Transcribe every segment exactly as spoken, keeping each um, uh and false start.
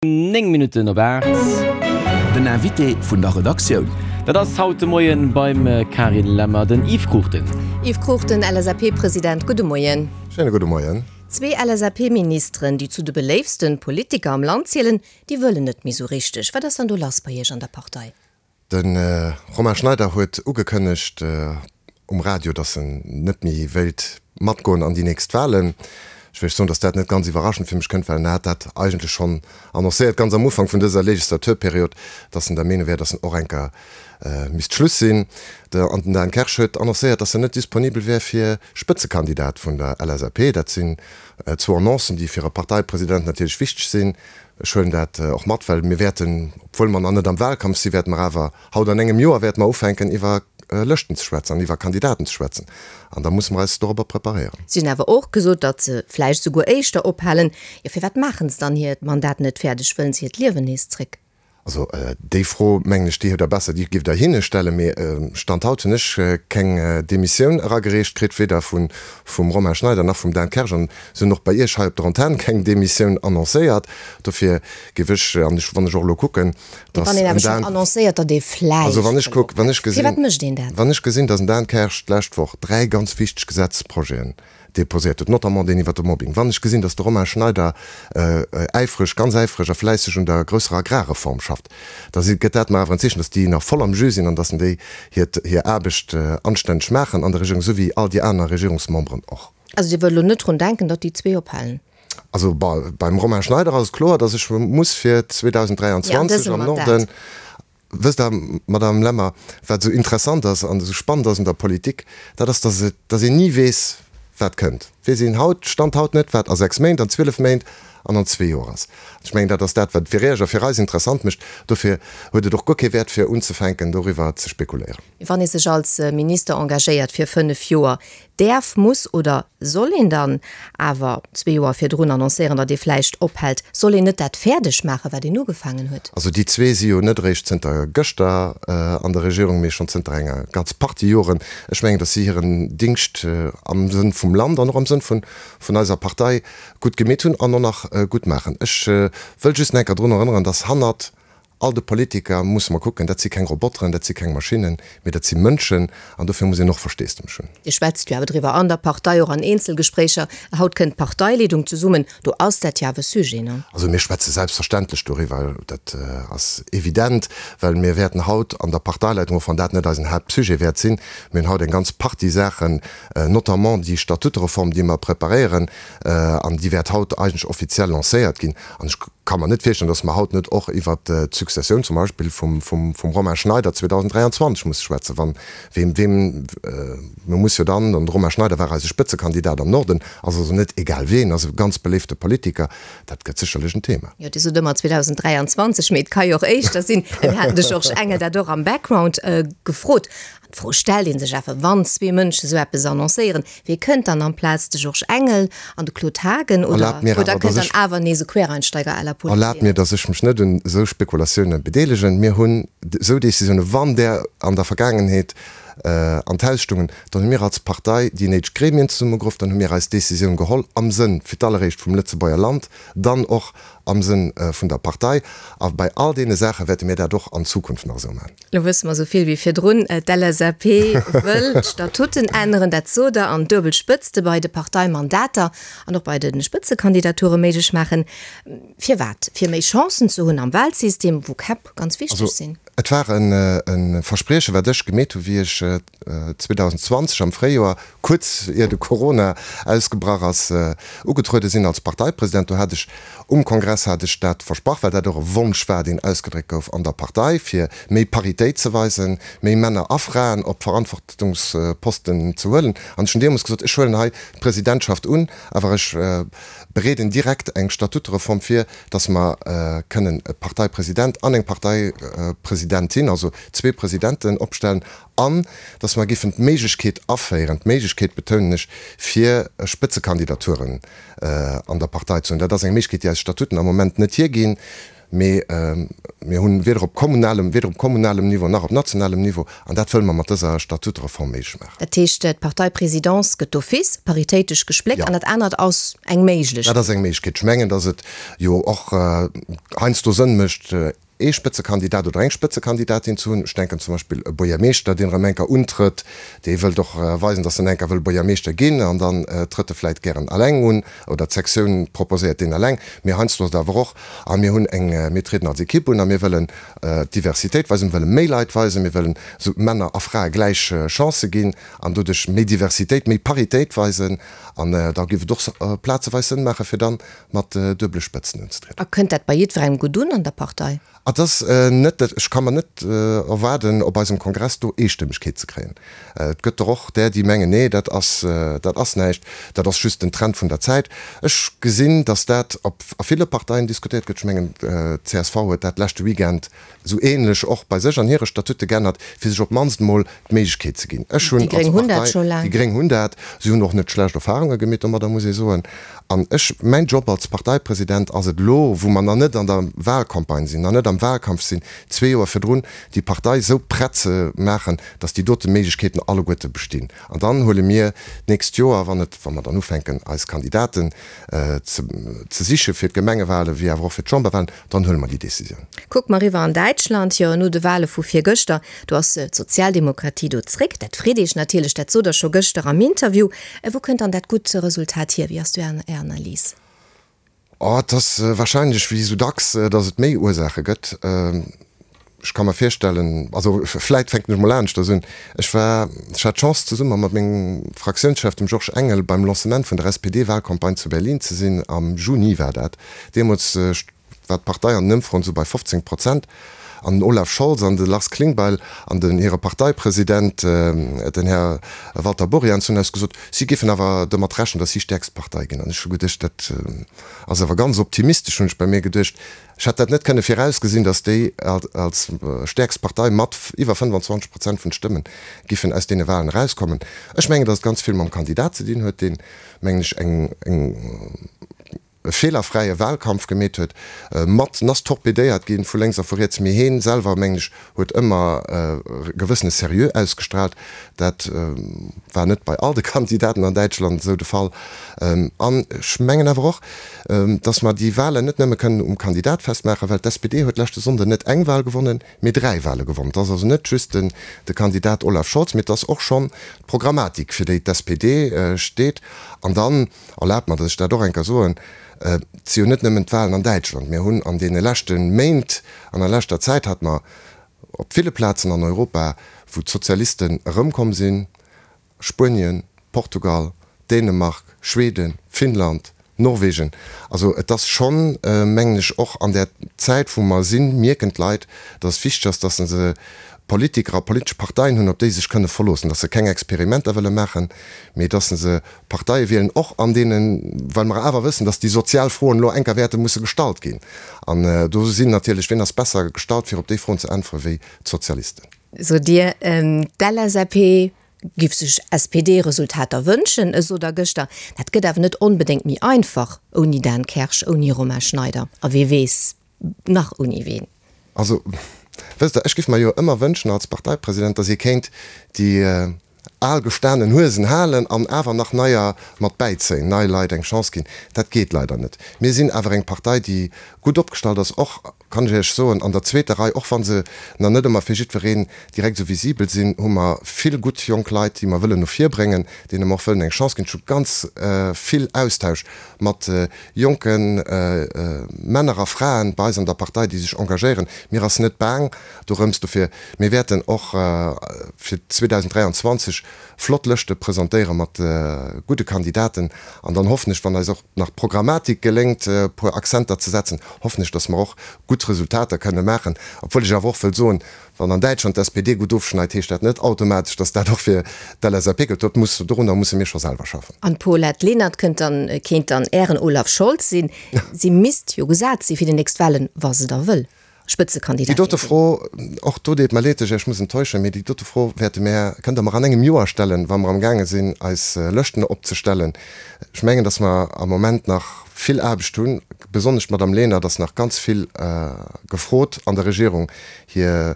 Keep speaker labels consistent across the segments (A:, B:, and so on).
A: Néng Minutten op aacht.
B: Den Invité vun der Redaktioun.
A: Dat ass haut de Moien beim Carine Lemmer den Yves Cruchten.
C: Yves Cruchten, L S A P-President, gudde Moien.
D: Schéine gudde Moien.
C: Zwee L S A P-Ministeren, déi zu de beléiftste Politiker am Land zielen, déi wëllen net méi sou richteg. Wat ass dann do lass bei Iech an der Partei?
D: De Romain Schneider huet ugekënnegt um Radio, datt en net méi wéilt matgoen an déi nächst Walen. Ech wéilt soen, datt dat net ganz iwwerraschend fir mech kënnt, well en hat dat eigentlech schonn annoncéiert ganz am Ufank vun dëser Legislaturperiod, datt en der Meenung wär, datt en och eng Kéier misst Schluss sinn. An den Dan Kersch huet annoncéiert, datt en net disponibel wär fir Spëtzekandidat vun der L S A P. Dat sinn zwou Annoncen, déi fir e Parteipresident natierlech wichteg sinn. Ech huelen dat och mat, well mir wäerten, obwuel mer nach net am Wahlkampf sinn, wäerte mer awer haut an engem Joer wäerte mer ufänken iwwer Lëschten ze schwätzen an iwwer Kandidaten ze schwätzen. An da musse mer eis dorobber preparéieren.
C: Si hunn awer och gesot, datt se vläicht souguer éischter ophalen. Jo, firwat maachen se dann hiert Mandat net fäerdeg? Wëllen se hiert Liewen nees zréck?
D: Also déi Fro, mengen ech, déi hutt Der besser, déi giff Der hinne stellen. Mee Stand haut hunn ech keng Demissioun eragereecht kritt, weder vum Romain Schneider nach vum Dan Kersch. An se hunn och bei Iech hei op der Antenn keng Demissioun annoncéiert. Dofir géif ech, an ech, wann ech och elo kucken,
C: datt en Dan. Annoncéiert, datt ee vläicht.
D: Also wann ech kuck, wann ech gesinn.
C: Firwat mécht een dat?
D: Wann ech gesinn, datt en Dan Kersch d'lescht Woch dräi ganz wichteg Gesetzprojeten deposéiert huet, notamment deen iwwert de Mobbing, wann ech gesinn, datt de Romain Schneider äifreg, ganz äifreg a fläisseg un der grousser Agrarreform schafft, da gëtt dat mer awer en Zeechen, datt déi nach voll am Jus sinn an datt déi hiert, hir Aarbecht anstänneg maachen an der Regierung, esou wéi all déi aner Regierungsmemberen och.
C: Also Dir wëllt elo net drun denken, datt déi zwee ophalen?
D: Also beim Romain Schneider ass et kloer, datt ech muss fir zweedausend dräianzwanzeg am Norden. Wësst Der, Madame Lemmer, wat esou interessant ass an esou spannend ass un der Politik, dat ass, datt et, datt een ni weess, wat kënnt. Weess een haut, Stand haut net, wat a sechs Méint, an zwielef Méint an an zwee Joer ass. Ech mengen, dat ass dat, wat fir Iech a fir eis interessant mécht. Dofir huet et och guer kee Wäert, fir unzefänken, doriwwer ze spekuléieren.
C: Wann ee sech als Minister engagéiert fir fënnef Joer, däerf, muss oder soll een dann awer zwee Joer virdrun annoncéieren, datt ee vläicht ophält? Soll een net dat fäerdeg maachen, wat een ugefaangen huet?
D: Also déi zwee si jo net eréischt zënter gëschter an der Regierung, mee schonn zënter enger ganz Partie Joren. Ech mengen, datt si hiren Dingscht am Sënn vum Land an och am Sënn vun eiser Partei gutt gemeet hunn an och nach gutt maachen. Ech wëll just nach eng Kéier drun erënneren, datt hannert all de Politiker musse mer kucken, dat si keng Roboteren, dat si keng Maschinnen, mee dat si Mënschen an dofir muss een och Versteesdemech hunn.
C: Dir schwätzt jo awer driwwer an der Partei, och an Eenzelgespréicher. Haut kënnt d'Parteileedung zesummen, do ass dat jo awer Sujet, ne?
D: Also mir schwätze selbstverständlech doriwwer, dat ass evident, well mir wäerten haut an der Parteileitung, och wann dat net eisen Haaptsujet wäert sinn, mir hunn haut eng ganz Partie Saachen, notamment déi Statutereform, déi mer preparéieren an déi wäert haut eigentlech offiziell lancéiert ginn. An ech ka mer net virstellen, datt mer haut net och iwwert d'Successioun zum Beispill vum Romain Schneider zweedausend dräianzwanzeg musse schwätzen, wann weem, weem, mir muss jo dann, an de Romain Schneider war eise Spëtzekandidat am Norden, ass also net egal ween, ass e ganz beléifte Politiker, dat gëtt sécherlech en Thema.
C: Jo, Dir sot ëmmer zweedausend dräianzwanzeg, mee et ka jo och éischter sinn. Mir haten de Georges Engel dat och am Background gefrot. An d'Fro stellt ee sech awer, wann zwee Mënschen esou eppes annoncéieren, wie kënnt dann amplaz? De Georges Engel an de Claude Haagen oder, oder kënnt dann awer nees e Quereinsteiger à la Paul
D: Erlaabt mir, datt ech mech net un esou Spekulatioune bedeelegen. Mir hunn esou Décisioune, wann där an der Vergaangenheet an d'Haus stungen, dann hu mir als Partei déi néideg Gremien zesummegeruff, dann hu mir eis Décisioun geholl am Sënn fir d'alleréischt vum Lëtzebuerger Land, dann och am Sënn vun der Partei. A bei all deene Saache wäerte mir dat och an Zukunft nach esou maachen.
C: Lo wësse mer esou vill wéi virdrun, D'L S A P wëll d'Statuten änneren, dat sot Der, an duebel Spëtzte bei de Parteimandater an och bei de Spëtzekandidature méiglech maachen. Firwat? Fir méi Chancen ze hunn am Wahlsystem, wou Käpp ganz wichteg sinn.
D: Et war e Versprieche wat ech gemeet hu wéi ech zweedausend zwanzeg am Fréijoer, kuerz ier de Corona ausgebrach ass, ugetruede sinn als Parteipresident. Do hat ech um Kongress hat ech dat versprach, well dat och e Wonsch war, deen ausgedréckt gouf an der Partei, fir méi Paritéit ze weisen, méi Männer a Fraen op Verantwortungsposten ze huelen. An ech hunn deemools gesot, ech huelen hei d'Presidentschaft un, awer ech bereeden direkt eng Statutereform vir, dass mer kënnen e Parteipresident an eng Parteipresidentin, also zwee Presidenten opstellen an dass mer géifen d'Méiglechkeet aféieren, d'Méiglechkeet betounen ech, fir Spëtzekandidaturen an der Partei ze hunn. Dat ass eng Méiglechkeet, déi eis Statuten am Moment net hierginn. Mee mir hunn weder op kommunalem, weder op kommunalem Niveau nach op nationalem Niveau, an dat wëlle mer mat dëser Statutereform méiglech maachen.
C: Dat heescht, d'Parteipresidence gëtt d'office paritéitesch gespléckt an dat anert ass eng Méiglechkeet?
D: Dat ass eng Méiglechkeet. Ech mengen, datt et jo och heiansdo Sënn mécht, ee Spëtzekandidat oder eng Spëtzekandidatin ze hunn. Ech denken zum Beispill e Buergermeeschter, deen erëm eng Kéier untrëtt, dee wëllt och weisen, datt en eng Kéier wëll Buergermeeschter ginn, an dann trëtt e vläicht gären eleng un oder d'Sektioun proposéiert deen eleng. Mee heiansdo ass et awer och, a mir hunn eng, mir trieden als Ekipp un a mir wëllen d'Diversitéit weisen, mir wëlle méi Leit weisen, mir wëllen esou Männer a Frae gläich Chancë ginn an doduerch méi Diversitéit, méi Paritéit weisen. An da géif et och plazeweis Sënn maachen, fir dann mat duebele Spëtzen unzetrieden.
C: A kënnt dat bei jiddwerengem gutt un an der Partei?
D: Et ass net, ech ka mer net erwaarden, op eisem Kongress do Eestëmmegkeet ze kréien. Et gëtt der och där, déi mengen, nee, dat ass, dat ass näischt, dat ass just den Trend vun der Zäit. Ech gesinn, datt dat op a ville Parteien diskutéiert gëtt. Ech mengen, d'CSV huet dat leschte Weekend esou ähnlech och bei sech an hire Statute geännert, fir sech op d'mannst emol d'Méiglechkeet ze ginn. Ech hunn als Partei, déi Gréng hunn dat, si hunn och net schlecht Erfahrunge gemeet domadder, muss ee soen. An ech, mäin Job als Parteipresident ass et elo, wou mer nach net an der Wahlcampagne sinn, nach net am Wahlkampf sinn, zwee Joer virdrun, déi Partei esou prett ze maachen, datt déi dote Méiglechkeeten alleguerte bestinn. An dann huele mir d'nächst Joer, wann et, wa mer dann ufänken eis Kandidaten ze ze siche fir d'Gemengewahlen, wéi awer och fir d'Chamberwahlen, dann huele mer déi Décisioun.
C: Kucke mer eriwwer an Däitschland, jo, no de Wahle vu virgëschter, do ass d'Sozialdemokratie do zréck. Dat freet Iech natierlech, dat sot Der scho gëschter am Interview. Wou kënnt dann dat gutt Resultat hier? Wéi ass do Är Analys?
D: Oh, et ass warscheinlech, wéi esou dacks, datt et méi Ursaache gëtt. Ech ka mer virstellen, also vläit fänken ech mol aneschters un, Ech war, ech hat d'Chance, zesumme mat mengem Fraktiounschef, dem Georges Engel, beim Lancement vun der S P D-Wahlcampagne zu Berlin ze sinn, am Juni war dat. Deemools war d'Partei an den Ëmfroen esou bei fofzéng Prozent. An den Olaf Scholz an de Lars Klingbeil an den hire Parteipresident, den Här Walter Borjans, hunn eis gesot, si géifen awer domat rechnen, datt si stäerkst Partei ginn. An ech hu geduecht, dat ass awer ganz optimistesch, hunn ech bei mir geduecht. Ech hätt dat net kënne virausgesinn, datt déi als stäerkst Partei mat iwwer fënnfanzwanzeg Prozent vun de Stëmmen giffen aus deene Wahlen erauskommen. Ech mengen, datt et ganz vill mam Kandidat ze dinn huet, deen, mengen ech, eng e feelerfräie Wahlkampf gemeet huet, mat nass torpedéiert ginn vu lénks a vu riets, mee heen selwer, mengen ech, huet ëmmer e gewëssene Seriö ausgestrahlt. Dat war net bei all de Kandidaten an Däitschland esou de Fall. An ech mengen awer och, datt mer déi Wahlen net nëmme kënnen um Kandidat festmaachen, well d'S P D huet leschte Sonnden net eng Wahl gewonnen, mee dräi Wahle gewonnen. Et ass also net just den de Kandidat Olaf Scholz, mee et ass och schonn d'Programmatik, fir déi d'S P D steet. An dann, erlaabt mer, datt ech dat och eng Kéier soen, et si jo net nëmmen d'Wahlen an Däitschland. Mir hunn an deene leschte Méint, an der leschter Zäit hate mer op ville Plazen an Europa, wou d'Sozialisten erëmkomm sinn, Spuenien, Portugal, Dänemark, Schweden, Finnland, Norwegen. Also et ass schonn, mengen ech, och an där Zäit, wou mer sinn, mierken d'Leit, datt et wichteg ass, datt se Politiker a politesch Parteien hunn, op déi se sech kënne verloossen, datt se keng Experimenter wëlle maachen, mee datt se Parteie wielen, och an deenen, well mer awer wëssen, datt déi sozial Froen elo enker wäerte musse gestallt ginn. An do sinn natierlech, wien ass besser gestallt, fir op déi Froen ze äntweren, wéi d'Sozialisten?
C: Sot Dir, d'L S A P giff sech S P D-Resultater wënschen, esou Der gëschter. Dat gëtt awer net onbedéngt méi einfach ouni Dan Kersch, ouni Romain Schneider a wee weess nach ouni ween.
D: Also, wësst Der, ech géif mer jo ëmmer wënschen als Parteipresident, datt ee kéint déi al gestanen Huesen halen an awer nach neier mat bäizéien, nei Leit eng Chance ginn. Dat geet leider net. Mir sinn awer eng Partei, déi gutt opgestallt ass, och, kann ech Iech soen, an der zweeter Rei, och wa se nach net ëmmer fir jiddwereen direkt esou visibel sinn, hu mer vill gutt jonk Leit, déi mer wëllen no vir bréngen, deene mer och wëllen eng Chance ginn. Ech hu ganz vill Austausch mat jonke Männer a Fraen bei eis an der Partei, déi sech engagéieren. Mir ass net baang dorëms. Dofir, mir wäerten och fir zweedausend dräianzwanzeg flott Lëschte presentéiere mat gudde Kandidaten. An dann hoffen ech, wann eis och nach d'Programmatik geléngt, e puer Akzenter ze setzen, hoffen ech, datt mer och gutt Resultater kënne maachen. Obwuel ech awer och wëll soen, wann an Däitschland d'S P D gutt ofschneit, heescht dat net automatesch, datt dat och fir d'L S A P gëllt. Dat muss, dorunner musse mir scho selwer schaffen.
C: An d'Paulette Lenert kënnt dann, kéint dann Ären Olaf Scholz sinn. Si misst jo gesat si fir déi nächst Wahlen, wa se da wëll. Spëtzekandidat
D: Déi dote Fro, och do deet mer leed, ech muss enttäuschen, mee déi dote Fro wäerte mär, kënnt Der mer an engem Joer stellen, wa mer amgaange sinn, eis Lëschten opzestellen. Ech mengen, datt mer am Moment nach vill Aarbecht hunn, besonnesch d'Madame Lenert ass nach ganz vill gefrot an der Regierung. Hir,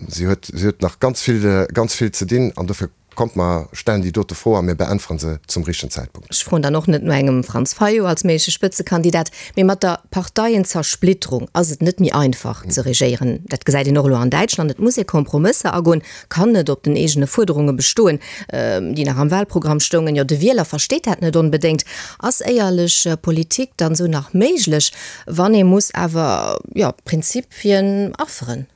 D: si huet, si huet nach ganz vill, ganz vill ze dinn an dofir kommt mer stellen déi dote Fro a mir beäntweren se zum richtegen Zäitpunkt.
C: Ech froen dann och net no engem Franz Fayot als méigleche Spëtzekandidat, mee mat der Parteienzersplitterung ass et net méi einfach ze regéieren. Dat gesäit een och elo an Däitschland. Et muss ee Kompromësser agoen, kann net op den eegene Fuerderunge bestoen, déi nach am Wahlprogramm stoungen. Jo, de Wieler versteet dat net onbedéngt. Ass éierlech Politik dann esou nach méiglech, wann ee muss awer, jo, Prinzipien afferen?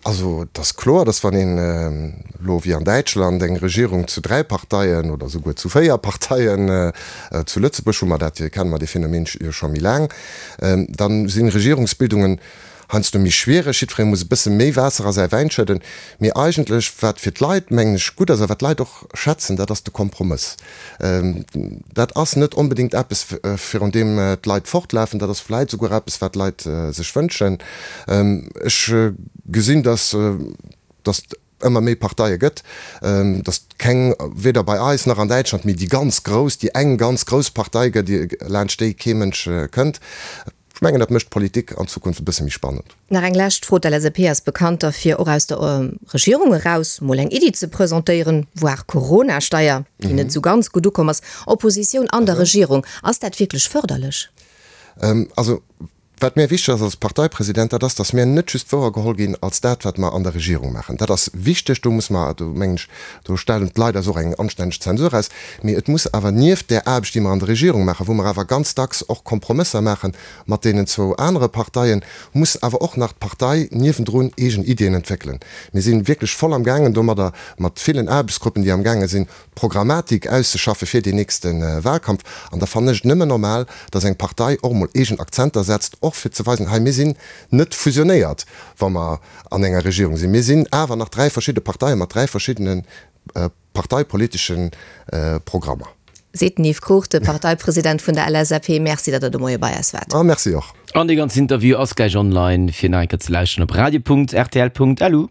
D: Also et ass kloer, datt wann een elo wéi an Däitschland eng Regierung zu dräi Parteien oder souguer zu véier Parteien, zu Lëtzebuerg hu mer dat, kenne mer dee Phänomen jo scho méi laang, da si Regierungsbildungen heiansdo méi schwiereg, jiddweree muss e bësse méi Waasser a säi Wäin schëdden. Mee eigentlech, wat fir d'Leit, mengen ech, gutt ass a wat d'Leit och schätzen, dat ass de Kompromëss. Dat ass net onbedéngt eppes, virun deem d'Leit fortlafen, dat ass vläit souguer eppes, wat d'Leit sech wënschen. Ech gesinn, dass et ëmmer méi Parteie gëtt, dass et keng, weder bei eis nach an Däitschland, méi déi ganz grouss, déi eng ganz grouss Partei gëtt, laanscht déi kee Mënsch kënnt. Ech mengen, dat mécht d'Politik an Zukunft e bësse méi spannend.
C: Nach eng lescht Fro, D'LSAP ass bekannt derfir, och aus der Regierung eraus mol eng Iddi ze presentéieren, voire Corona-Steier, déi net esou ganz gutt ukomm ass. Oppositioun an der Regierung, ass dat wierklech fërderlech?
D: Also, wat mär wichteg ass als Parteipresident, dat ass, datt mär net just wouergeholl ginn als dat, wat mer an der Regierung maachen. Dat ass wichteg, do muss mer, do mengen ech, do stellen d'Leit eis och eng anstänneg Zensur aus. Mee et muss awer nieft där Aarbecht, déi mer an der Regierung maachen, wou mer awer ganz dacks och Kompromësser maache mat deenen zwou anere Parteien, muss awer och nach d'Partei niewendrun eegen Iddien entwéckelen. Mir si wierklech voll amgaangen domadder, mat villen Aarbechtsgruppen, déi amgaange sinn, d'Programmatik auszeschaffe fir deen nächste Wahlkampf. An da fannen ech et nëmmen normal, datt eng Partei och emol eegen Akzenter setzt, och fir ze weisen, hei mir sinn net fusionéiert, wa mer an enger Regierung sinn. Mir sinn awer nach dräi verschidde Parteie mat dräi verschiddene parteipolitesche Programmer.
C: Seet den Yves Cruchten, Parteipresident vun der LSAP. Merci, datt Der de Moie bei eis waart.
D: A merci och.
A: An dee ganzen Interview ass gläich online fir nach eng Kéier ze lauschteren op radio.rtl.lu.